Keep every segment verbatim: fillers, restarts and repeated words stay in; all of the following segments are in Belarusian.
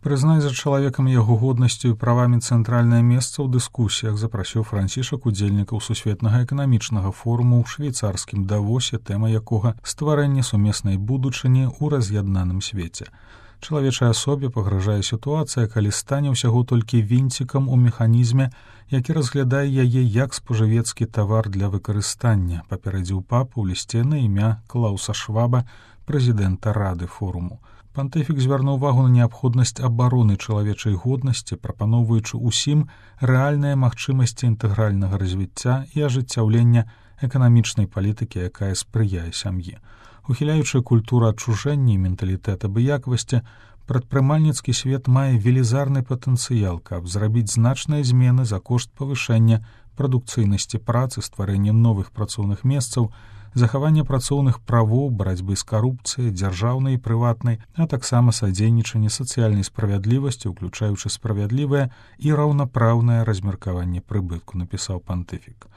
Прызнаць за чалавекам яго годнасцю і правамі цэнтральнае месца ў дыскусіях запрасіў Францішак удзельнікаў сусветнага эканамічнага форуму ў швейцарскім Давосе, тэма якога стварэнне сумеснай будучыні ў раз'яднаным свеце. Чалавечай асобе пагражае сітуацыя, калі стане ўсяго толькі вінцікам у механізме, які разглядае яе як спажывецкі тавар для выкарыстання, папярэдзіў папа ў лісце на імя Клауса Шваба, прэзідэнта рады форуму. Пантыфік звярнуў увагу на неабходнасць абароны чалавечай годнасці, прапаноўваючы ўсім рэальныя магчымасці інтэгральнага развіцця і ажыццяўлення эканамічнай палітыкі, якая спрыяе сям'і. Ухіляючы культуру адчужэння і менталітэт абыякавасці, прадпрымальніцкі свет мае велізарны патэнцыял, каб зрабіць значныя змены за кошт павышэння прадукцыйнасці працы, стварэння новых працоўных месцаў, захавання працоўных правоў, барацьбы з карупцыяй, дзяржаўнай і прыватнай, а таксама садзейнічанне сацыяльнай справядлівасці, уключаючы справядлівае і раўнапраўнае размеркаванне прыбытку, напісаў пантыфік.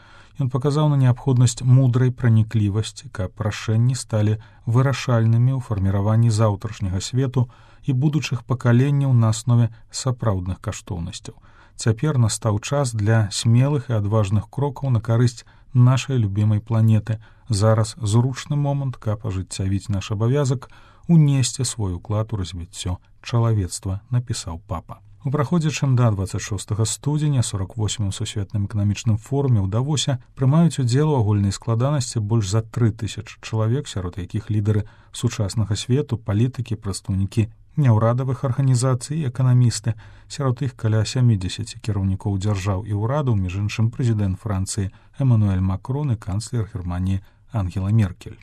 Ён паказаў на неабходнасць мудрай праніклівасці, каб рашэнні сталі вырашальнымі ў фарміраванні заўтрашняга свету і будучых пакаленняў на аснове сапраўдных каштоўнасцяў. Цяпер настаў час для смелых і адважных крокаў на карысць нашай любімай планеты. Зараз зручны момант, каб ажыццявіць наш абавязак унесці свой уклад у развіццё чалавецтва, напісаў папа. У праходзячым да дваццаць шостага студзеня сорок восьмым сусветным эканамічным форуме ў Давосе прымаюць удзел у агульнай складанасці больш за тры тысячы чалавек, сярод якіх лідары сучаснага свету, палітыкі, прадстаўнікі няўрадавых арганізацый і эканамісты, сярод іх каля сямідзесяці кіраўнікоў дзяржаў і ўрадаў, між іншым прэзідэнт Францыі Эмануэль Макрон і канцлер Германіі Ангела Меркель.